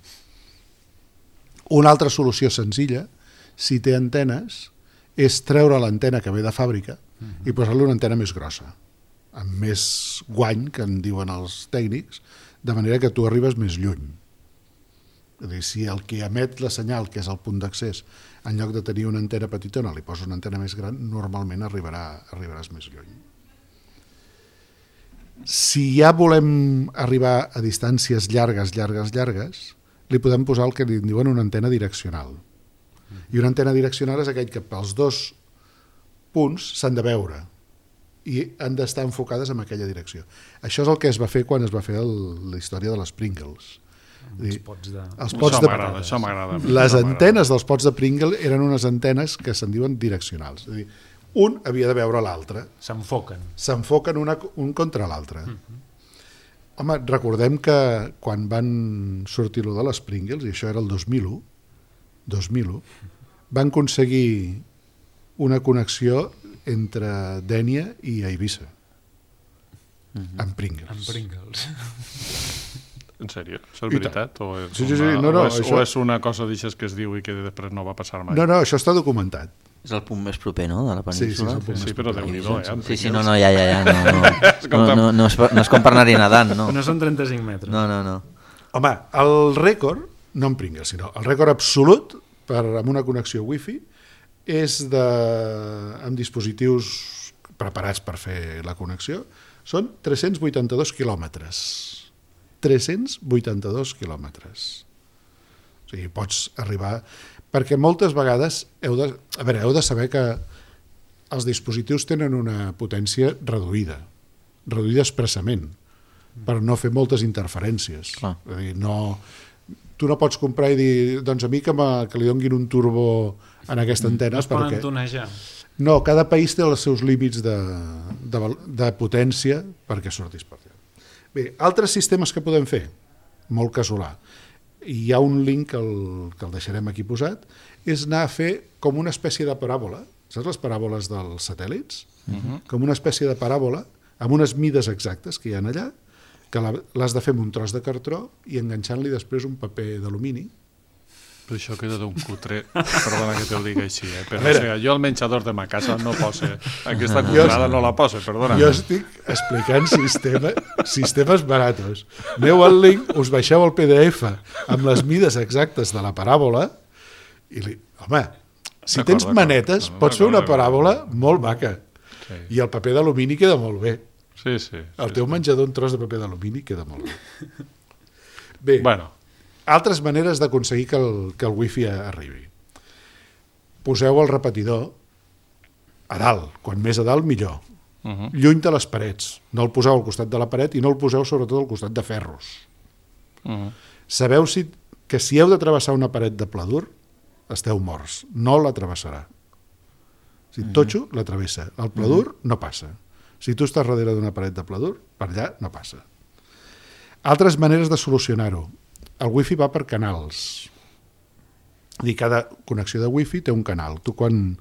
Una altra solució senzilla, si té antenes, és treure l'antena que ve de fàbrica i posar-li una antena més grossa. amb més guany, que en diuen els tècnics, de manera que tu arribes més lluny. És a dir, si el que emet la senyal, que és el punt d'accés, en lloc de tenir una antena petitona, li posa una antena més gran, normalment arribaràs més lluny. Si ja volem arribar a distàncies llargues, li podem posar el que li diuen una antena direccional. I una antena direccional és aquell que pels dos punts s'han de veure i han d'estar enfocades en aquella direcció. Això és el que es va fer quan es va fer la història de les Pringles. Els pots de patates. Això m'agrada. Les antenes dels pots de Pringle eren unes antenes que se'n diuen direccionals. És a dir, un havia de veure l'altre. S'enfoquen un contra l'altre. Home, recordem que quan van sortir lo de les Pringles, i això era el 2001, van aconseguir una connexió entre Dénia i Eivissa amb Pringles. En sèrio? Això és veritat? O és una cosa d'aixes que es diu i que després no va passar mai? No, això està documentat. És el punt més proper, no?, de la península. Sí, però Déu-n'hi-do, Sí, no, ja. No és com per anar-hi nedant, no. No són 35 metres. No. Home, el rècord, no en Pringles, sinó el rècord absolut amb una connexió wifi és amb dispositius preparats per fer la connexió, són 382 quilòmetres. 382 quilòmetres. O sigui, pots arribar... Perquè moltes vegades heu de saber que els dispositius tenen una potència reduïda expressament, per no fer moltes interferències. És a dir, tu no pots comprar i dir, doncs a mi que li donguin un turbo en aquesta antena. No es poden tonejar. No, cada país té els seus límits de potència perquè sortis per allà. Bé, altres sistemes que podem fer, molt casolà, i hi ha un link que el deixarem aquí posat, és anar a fer com una espècie de paràbola, saps les paràboles dels satèl·lits? Com una espècie de paràbola, amb unes mides exactes que hi ha allà, que l'has de fer amb un tros de cartró i enganxant-li després un paper d'alumini. Però això queda d'un cutre, perdona que te'l digui així, però jo al menjador de ma casa no poso, aquesta cutrada no la poso, perdona. Jo estic explicant sistemes baratos. Aneu al link, us baixeu el PDF amb les mides exactes de la paràbola i, home, si tens manetes, pots fer una paràbola molt maca. I el paper d'alumini queda molt bé. El teu menjador, un tros de paper d'alumini, queda molt bé. Bé, altres maneres d'aconseguir que el wifi arribi. Poseu el repetidor a dalt, quan més a dalt millor, lluny de les parets, no el poseu al costat de la paret i no el poseu sobretot al costat de ferros. Sabeu que si heu de travessar una paret de pla dur, esteu morts, no la travessarà. Si totxo, la travessa, el pla dur no passa. Si tu estàs darrere d'una paret de pla dur, per allà no passa. Altres maneres de solucionar-ho. El wifi va per canals. Cada connexió de wifi té un canal. Tu quan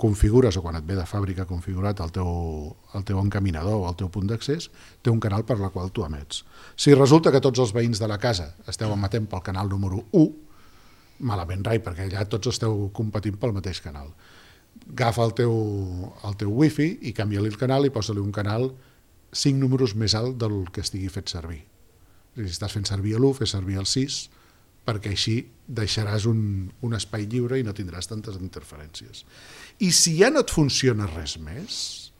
configures o quan et ve de fàbrica configurat el teu encaminador o el teu punt d'accés, té un canal per la qual tu emets. Si resulta que tots els veïns de la casa esteu emetent pel canal número 1, malament rai, perquè allà tots esteu competint pel mateix canal. Agafa el teu wifi i canvia-li el canal i posa-li un canal 5 números més alt del que estigui fet servir. Si estàs fent servir l'1, fes servir el 6, perquè així deixaràs un espai lliure i no tindràs tantes interferències. I si ja no et funciona res més,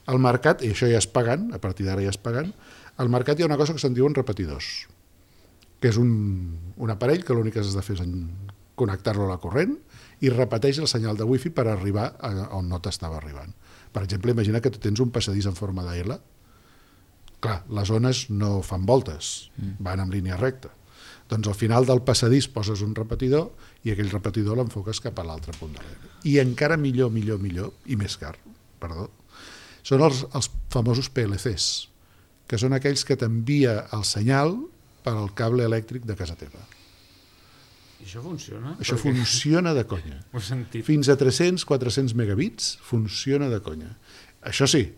al mercat, i això ja és pagant, a partir d'ara ja és pagant, al mercat hi ha una cosa que se'n diuen repetidors, que és un aparell que l'únic que has de fer és connectar-lo a la corrent i repeteix el senyal de wifi per arribar on no t'estava arribant. Per exemple, imagina que tu tens un passadís en forma de L. Clar, les ones no fan voltes, van en línia recta. Doncs al final del passadís poses un repetidor i aquell repetidor l'enfoques cap a l'altre punt de l'L. I encara millor, i més car, són els famosos PLCs, que són aquells que t'envia el senyal per al cable elèctric de casa teva. I això funciona? Això funciona de conya. Fins a 300-400 megabits funciona de conya. Això sí,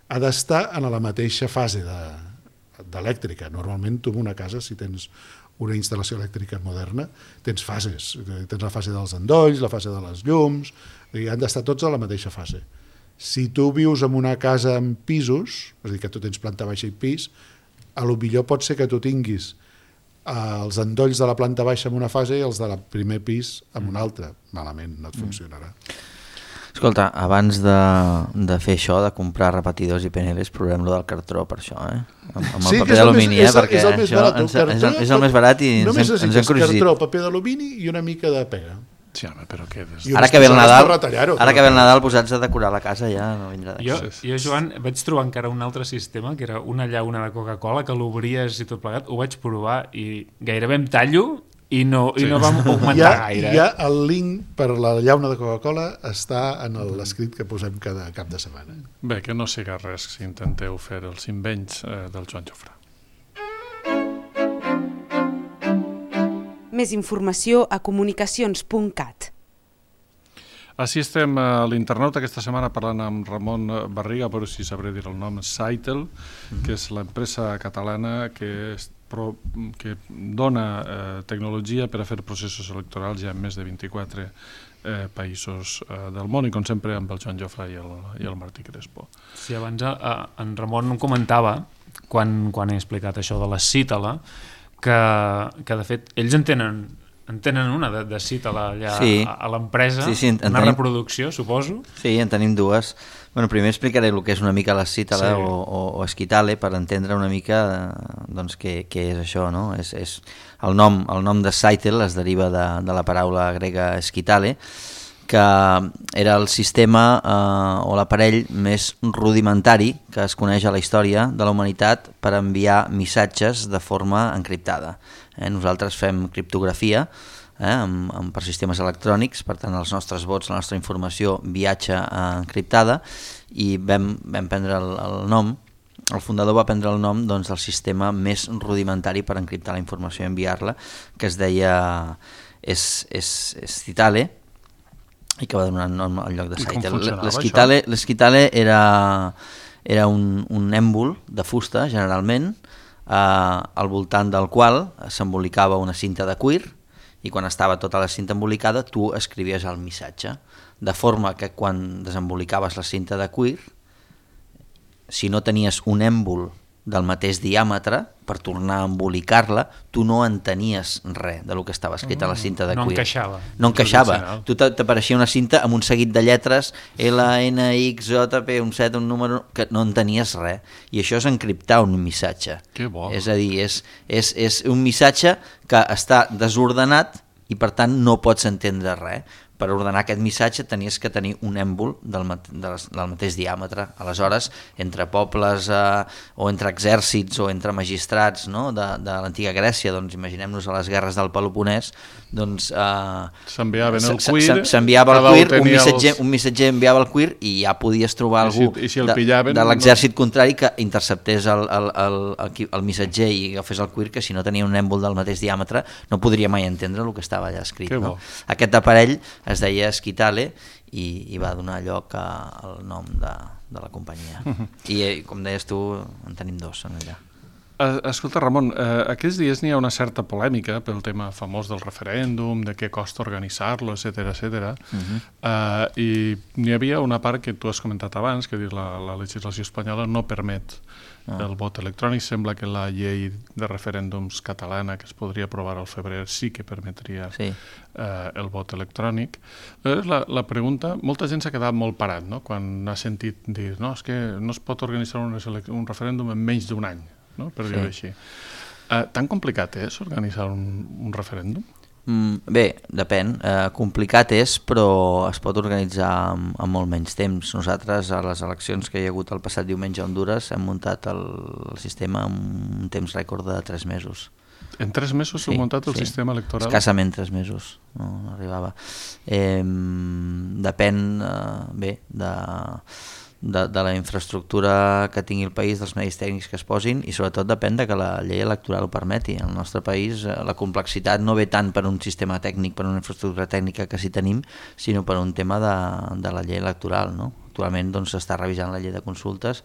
ha d'estar en la mateixa fase d'elèctrica. Normalment tu en una casa, si tens una instal·lació elèctrica moderna, tens fases. Tens la fase dels endolls, la fase de les llums, i han d'estar tots a la mateixa fase. Si tu vius en una casa amb pisos, és a dir, que tu tens planta baixa i pis, a lo millor pot ser que tu tinguis els endolls de la planta baixa en una fase i els del primer pis en una altra. Malament, no et funcionarà. Escolta, abans de fer això, de comprar repetidors i PNLs, provem-lo del cartró per això, amb el paper d'alumini, perquè això és el més barat i ens hem corregit. Cartró, paper d'alumini i una mica de pega. Sí, home, però què és? Ara que ve el Nadal, posats a decorar la casa ja no vindrà d'aquí. Jo, Joan, vaig trobar encara un altre sistema, que era una llauna de Coca-Cola, que l'obries i tot plegat, ho vaig provar i gairebé em tallo i no vam augmentar gaire. Ja el link per la llauna de Coca-Cola està en l'escrit que posem cada cap de setmana. Bé, que no siga res si intenteu fer els invents del Joan Jofrà. Més informació a comunicacions.cat. Així estem a l'internauta aquesta setmana parlant amb Ramon Barriga, però si sabré dir el nom, Saitel, que és l'empresa catalana que dona tecnologia per a fer processos electorals ja en més de 24 països del món, i com sempre amb el Joan Jofrà i el Martí Crespo. Sí, abans en Ramon comentava, quan he explicat això de la Cítala, que de fet ells en tenen una de Cítala allà a l'empresa, una reproducció, suposo. Sí, en tenim dues. Bueno, primer explicaré el que és una mica la Cítala o Esquitale per entendre una mica doncs, què és això, no? El nom de Saitel es deriva de la paraula grega Esquitale, que era el sistema o l'aparell més rudimentari que es coneix a la història de la humanitat per enviar missatges de forma encriptada. Nosaltres fem criptografia per sistemes electrònics, per tant els nostres vots, la nostra informació viatja encriptada, i vam prendre el nom, el fundador va prendre el nom del sistema més rudimentari per encriptar la informació i enviar-la, que es deia Esquitale, i que va donar nom al lloc de Saitel. L'esquitale era un èmbol de fusta, generalment, al voltant del qual s'embolicava una cinta de cuir, i quan estava tota la cinta embolicada tu escrivies el missatge, de forma que quan desembolicaves la cinta de cuir, si no tenies un èmbol del mateix diàmetre, per tornar a embolicar-la, tu no entenies res del que estava escrit a la cinta de cuir. No encaixava. Tu t'apareixia una cinta amb un seguit de lletres, L, N, X, J, P, un set, un número, que no entenies res. I això és encriptar un missatge. Que bo. És a dir, és un missatge que està desordenat i per tant no pots entendre res. Per ordenar aquest missatge tenies que tenir un èmbol del mateix diàmetre. Aleshores, entre pobles o entre exèrcits o entre magistrats, no? de l'antiga Grècia, doncs imaginem-nos a les guerres del Peloponès, doncs s'enviaven el cuir, s'enviava el cuir, un missatger enviava el cuir i ja podies trobar algú de l'exèrcit contrari que interceptés el missatger i agafés el cuir, que si no tenia un èmbol del mateix diàmetre no podria mai entendre el que estava allà escrit. No? Aquest aparell es deia Esquitale i va donar lloc al nom de la companyia. I com deies tu, en tenim dos en allà. Escolta, Ramon, aquests dies n'hi ha una certa polèmica pel tema famós del referèndum, de què costa organitzar-lo, etcètera. I n'hi havia una part que tu has comentat abans, que la legislació espanyola no permet el vot electrònic. Sembla que la llei de referèndums catalana, que es podria aprovar al febrer, sí que permetria el vot electrònic. La pregunta, molta gent s'ha quedat molt parat, no? Quan ha sentit dir no, és que no es pot organitzar un referèndum en menys d'un any, no? Per dir-ho així. Tan complicat és organitzar un referèndum? Bé, depèn. Complicat és, però es pot organitzar en molt menys temps. Nosaltres, a les eleccions que hi ha hagut el passat diumenge a Hondures, hem muntat el sistema en un temps rècord de 3 mesos. En 3 mesos s'ha muntat el sistema electoral? Escassament 3 mesos, no arribava. Depèn, bé, de la infraestructura que tingui el país, dels medis tècnics que es posin, i sobretot depèn de que la llei electoral ho permeti. En el nostre país la complexitat no ve tant per un sistema tècnic, per una infraestructura tècnica que sí tenim, sinó per un tema de la llei electoral, no? Actualment s'està revisant la llei de consultes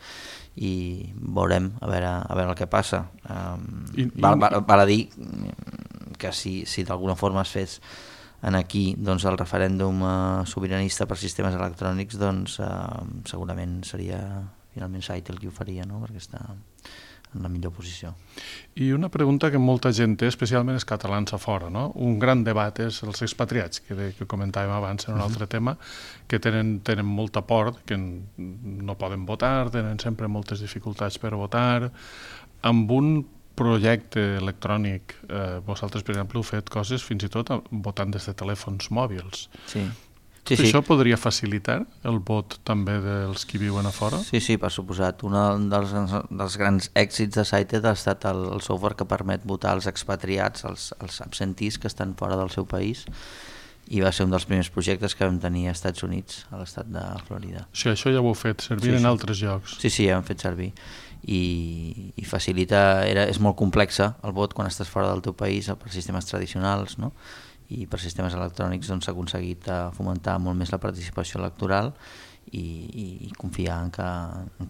i veurem a veure el que passa. Val a dir que si d'alguna forma es fes en aquí doncs, el referèndum sobiranista per sistemes electrònics, doncs segurament seria finalment Saitel qui ho faria, no? Perquè està en la millor posició. I una pregunta que molta gent té, especialment els catalans a fora, no? Un gran debat és els expatriats, que comentàvem abans en un altre tema, que tenen molta por, que no poden votar, tenen sempre moltes dificultats per votar. Amb un projecte electrònic, vosaltres, per exemple, heu fet coses fins i tot votant des de telèfons mòbils. Sí. Això podria facilitar el vot també dels qui viuen a fora? Sí, per suposat. Un dels grans èxits de Saitel ha estat el software que permet votar als expatriats, als absentís que estan fora del seu país, i va ser un dels primers projectes que vam tenir als Estats Units, a l'estat de Florida. Sí, això ja ho heu fet servir en altres llocs. Sí, ja ho hem fet servir. I facilita, és molt complexa el vot quan estàs fora del teu país per sistemes tradicionals, no? I per sistemes electrònics s'ha aconseguit fomentar molt més la participació electoral i confiar en que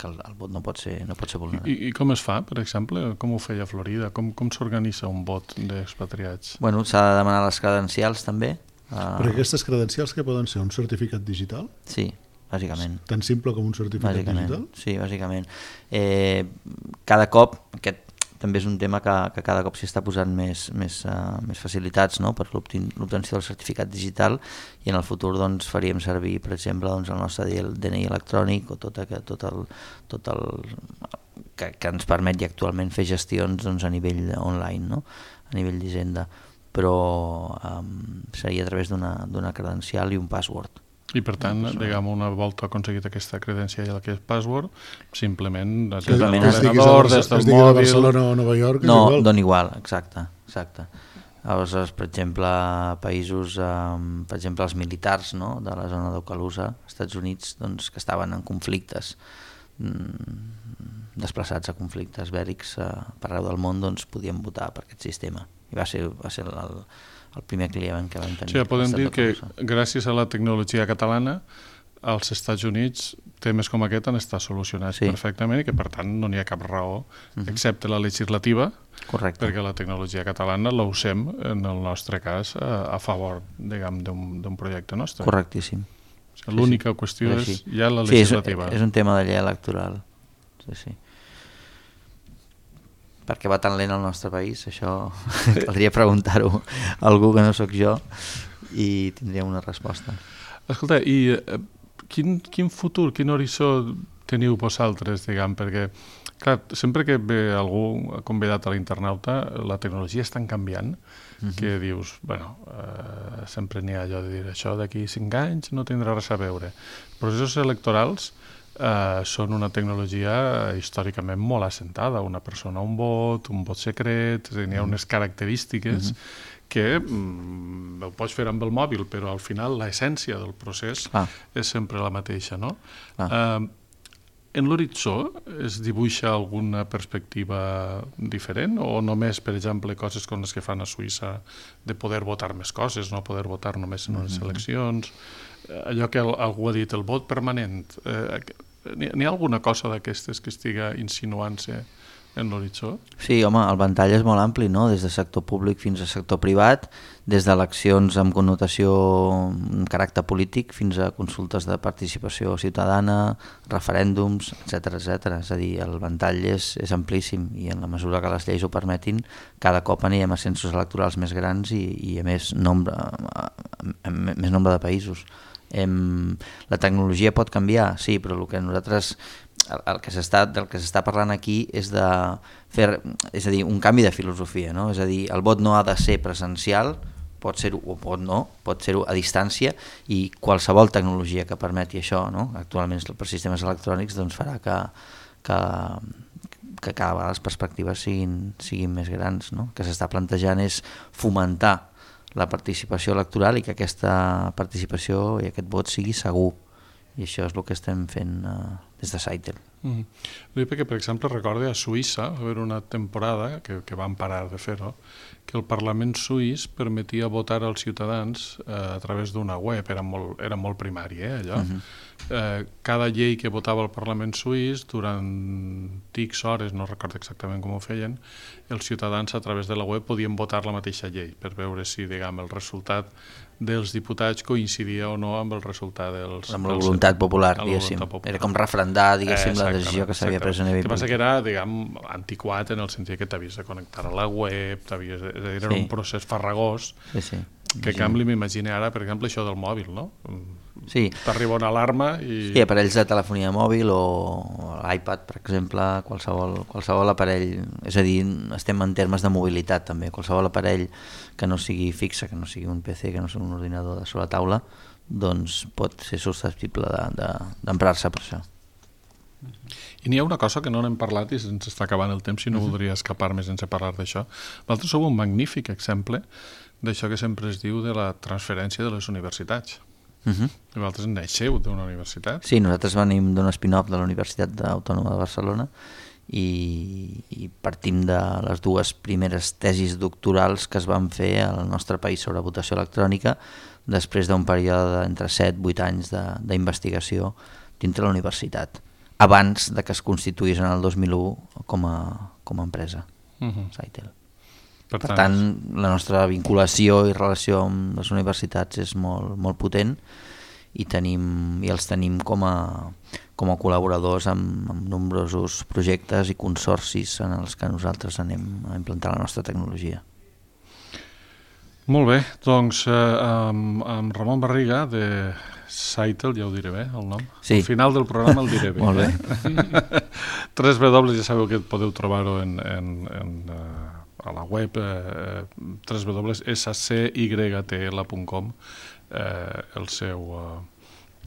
el vot no pot ser vulnerat. I com es fa, per exemple? Com ho feia Florida? Com s'organitza un vot d'expatriats? Bueno, s'ha de demanar les credencials també. Però aquestes credencials que poden ser un certificat digital? Sí, bàsicament. Tan simple com un certificat digital? Sí, bàsicament. Cada cop, aquest també és un tema que cada cop s'hi està posant més facilitats, no? Per l'obtenció del certificat digital, i en el futur doncs, faríem servir, per exemple, doncs, el nostre DNI electrònic o tot el que ens permet actualment fer gestions doncs, a nivell online, no? A nivell d'Hisenda, però seria a través d'una credencial i un password. I per tant, diguem, una volta aconseguit aquesta credencial i aquest password, simplement des de l'ordenador, des del mòbil... a Barcelona o Nova York... No, dona igual, exacte. Aleshores, per exemple, països, per exemple, els militars, no?, de la zona d'Ocalusa, als Estats Units, doncs, que estaven en conflictes, desplaçats a conflictes bèl·lics per arreu del món, doncs podien votar per aquest sistema. I va ser el primer client que vam tenir. Sí, podem dir que gràcies a la tecnologia catalana als Estats Units temes com aquest han estat solucionats perfectament i que per tant no n'hi ha cap raó, excepte la legislativa, perquè la tecnologia catalana la usem en el nostre cas a favor, diguem, d'un projecte nostre. Correctíssim. L'única qüestió és ja la legislativa. Sí, és un tema de llei electoral. Sí. Per què va tan lent el nostre país? Això caldria preguntar-ho a algú que no sóc jo i tindria una resposta. Escolta, i quin futur, quin horitzó teniu vosaltres, diguem, perquè clar, sempre que ve algú convidat a l'internauta, la tecnologia està canviant, que dius, bueno, sempre n'hi ha allò de dir això d'aquí 5 anys no tindrà res a veure. Processos electorals són una tecnologia històricament molt assentada, una persona un vot secret, n'hi ha unes característiques que ho pots fer amb el mòbil, però al final l'essència del procés és sempre la mateixa, no? En l'horitzó es dibuixa alguna perspectiva diferent o només, per exemple, coses com les que fan a Suïssa de poder votar més coses, no poder votar només en unes eleccions? Allò que algú ha dit, el vot permanent, n'hi ha alguna cosa d'aquestes que estiga insinuant-se en l'horitzó? Sí, home, el ventall és molt ampli, no? Des de sector públic fins a sector privat, des d'eleccions amb connotació amb caràcter polític fins a consultes de participació ciutadana, referèndums, etc. És a dir, el ventall és amplíssim i en la mesura que les lleis ho permetin, cada cop anirem a censos electorals més grans i a més nombre de països. La tecnologia pot canviar, sí, però el que nosaltres... del que s'està parlant aquí és de fer, és a dir, un canvi de filosofia, no? És a dir, el vot no ha de ser presencial, pot ser-ho o pot ser-ho a distància, i qualsevol tecnologia que permeti això, no? Actualment per sistemes electrònics, doncs farà que cada vegada les perspectives siguin més grans, no? El que s'està plantejant és fomentar la participació electoral i que aquesta participació i aquest vot sigui segur, i això és el que estem fent Saitel. Perquè, per exemple, recorde a Suïssa, va haver una temporada que van parar de fer-ho, que el Parlament suís permetia votar als ciutadans a través d'una web, era molt primari, allò. Cada llei que votava el Parlament suís, durant X hores, no recordo exactament com ho feien, els ciutadans a través de la web podien votar la mateixa llei, per veure si, diguem, el resultat dels diputats coincidia o no amb el resultat dels... Amb la voluntat popular, diguéssim. Era com referendar, diguéssim, la decisió que s'havia pres a nivell. El que passa que era, diguem, antiquat en el sentit que t'havies de connectar a la web, era un procés farragós, que en canvi m'imagino ara, per exemple, això del mòbil, no? Sí. T'arriba una alarma i... Sí, aparells de telefonia mòbil o l'iPad, per exemple, qualsevol aparell, és a dir, estem en termes de mobilitat també, qualsevol aparell que no sigui fixe, que no sigui un PC, que no sigui un ordinador de sola taula, doncs pot ser susceptible d'emprar-se per això. I n'hi ha una cosa que no n'hem parlat i se'ns està acabant el temps i no voldria escapar-me sense parlar d'això. Vosaltres sou un magnífic exemple d'això que sempre es diu de la transferència de les universitats. Vosaltres naixeu d'una universitat? Sí, nosaltres venim d'un spin-off de la Universitat Autònoma de Barcelona i partim de les dues primeres tesis doctorals que es van fer al nostre país sobre votació electrònica després d'un període d'entre 7-8 anys d'investigació dintre la universitat, abans de que es constituís en el 2001 com a empresa, Saitel. Per tant, la nostra vinculació i relació amb les universitats és molt potent i els tenim com a col·laboradors amb nombrosos projectes i consorcis en els que nosaltres anem a implantar la nostra tecnologia. Molt bé, doncs amb Ramon Barriga de Saitel, ja ho diré bé, el nom? Sí. Al final del programa el diré bé. Molt bé. 3W, ja sabeu que podeu trobar-ho a la web www.scytl.com,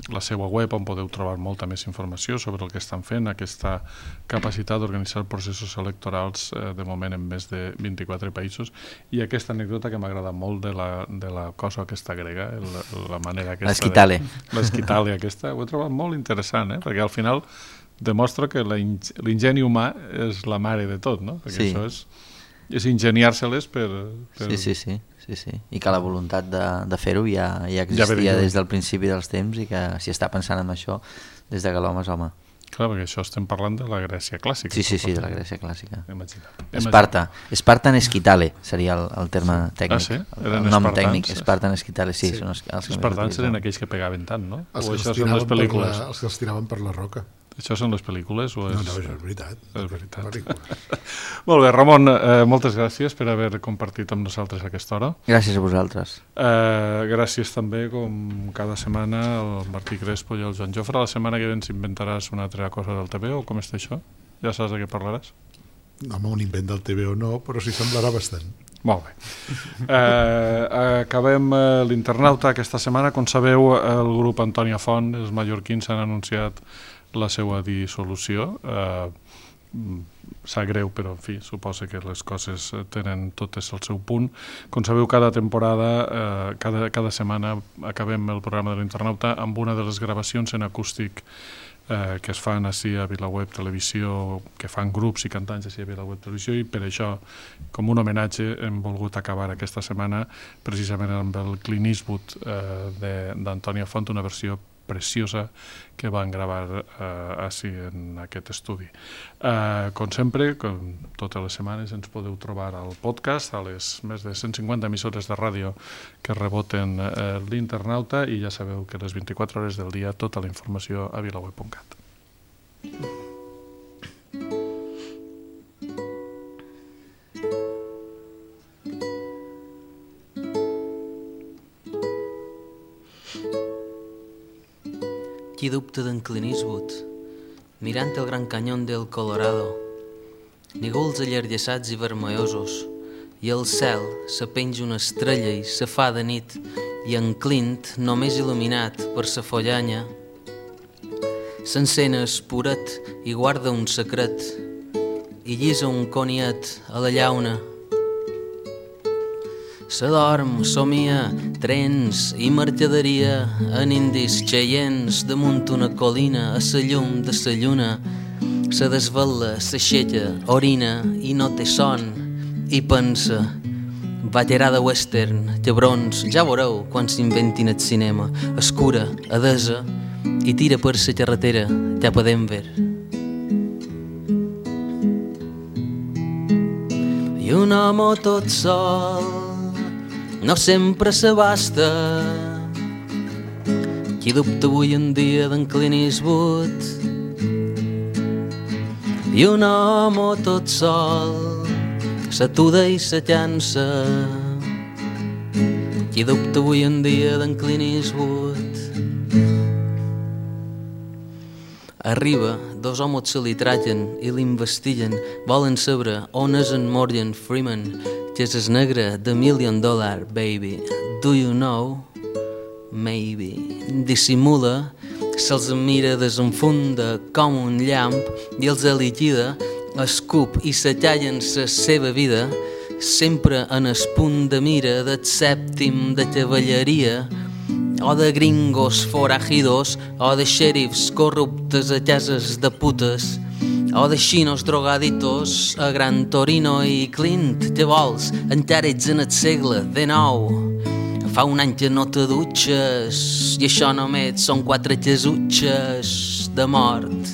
la seva web on podeu trobar molta més informació sobre el que estan fent, aquesta capacitat d'organitzar processos electorals de moment en més de 24 països, i aquesta anècdota que m'ha agradat molt de la cosa aquesta grega, la manera aquesta... L'esquitale. L'esquitale aquesta, ho he trobat molt interessant, perquè al final demostra que l'ingeni humà és la mare de tot, no? Perquè això és ingeniar-se-les per... Sí, i que la voluntat de fer-ho ja existia des del principi dels temps i que s'hi està pensant en això des de que l'home és home. Clar, perquè això estem parlant de la Grècia clàssica. Sí, de la Grècia clàssica. Esparta Esquitale seria el terme tècnic. Ah, sí? El nom tècnic, Espartan Esquitale, sí. Els espartans eren aquells que pegaven tant, no? Els que els tiraven per la roca. Això són les pel·lícules? O és... No, això és veritat. És veritat. Molt bé, Ramon, moltes gràcies per haver compartit amb nosaltres aquesta hora. Gràcies a vosaltres. Gràcies també, com cada setmana, al Martí Crespo i al Joan Jofre. La setmana que ve ens inventaràs una altra cosa del TV o com està això? Ja saps de què parlaràs? Home, un invent del TV o no, però sí semblarà bastant. Molt bé. Acabem l'internauta aquesta setmana. Com sabeu, el grup Antònia Font, els mallorquins, han anunciat la seva dissolució. Sap greu, però en fi, suposa que les coses tenen totes el seu punt. Com sabeu, cada temporada, cada setmana acabem el programa de l'internauta amb una de les gravacions en acústic que es fan així a VilaWeb Televisió, que fan grups i cantants així a VilaWeb Televisió, i per això, com un homenatge, hem volgut acabar aquesta setmana precisament amb el Clint Eastwood d'Antònia Font, una versió preciosa que van gravar així en aquest estudi. Com sempre, com totes les setmanes, ens podeu trobar al podcast, a les més de 150 emissores de ràdio que reboten l'internauta, i ja sabeu que les 24 hores del dia tota la informació a vilaweb.cat. Qui dubta d'en Clint Eastwood, mirant el gran canyón del Colorado, nígols allargassats i vermellosos, i al cel se penja una estrella i se fa de nit, i en Clint, només il·luminat per sa follanya, s'encén espuret i guarda un secret, i llisa un coniet a la llauna. s'adorm, somia, trens i mercaderia en indis xeients damunt una colina a sa llum de sa lluna. Se desvela, s'aixeca, orina i no té son i pensa: ballarada western, llebrons, ja veureu quan s'inventin el cinema. Escura, adesa, i tira per sa carretera cap a Denver. I un home tot sol no sempre s'abasta. Qui dubta avui en dia d'en Clint Eastwood? I un home tot sol s'atuda i se llança. Qui dubta avui en dia d'en Clint Eastwood? Arriba, dos homes se li tragen i l'investiguen. Volen saber on és en Morgan Freeman, que és el negre de $1 Million, baby. Do you know? Maybe. Dissimula, se'ls mira, desenfunda com un llamp i els liquida, escup i s'atallen la seva vida, sempre en el punt de mira del sèptim de cavalleria, o de gringos forajidos, o de xèrifs corruptes a cases de putes, o de xinos drogaditos a Gran Torino. I Clint, què vols? Encara ets en el segle XIX. Fa un any que no te dutxes i això només són 4 casutxes de mort.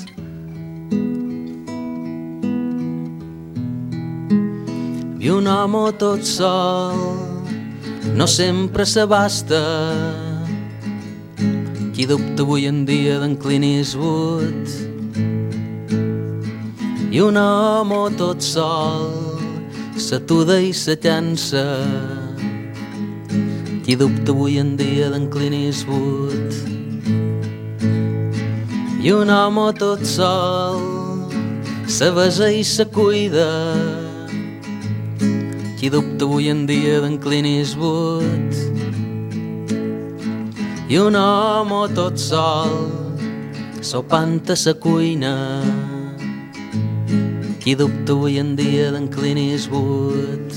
I un home tot sol no sempre s'abasta. Qui dubta avui en dia d'en Clint Eastwood? I un home tot sol s'atuda i se llança. Qui dubta avui en dia d'en Clint Eastwood? I un home tot sol se besa i se cuida. Qui dubta avui en dia d'en Clint Eastwood? I un home tot sol sopant a sa cuina. Qui dubta avui en dia d'en Clint Eastwood?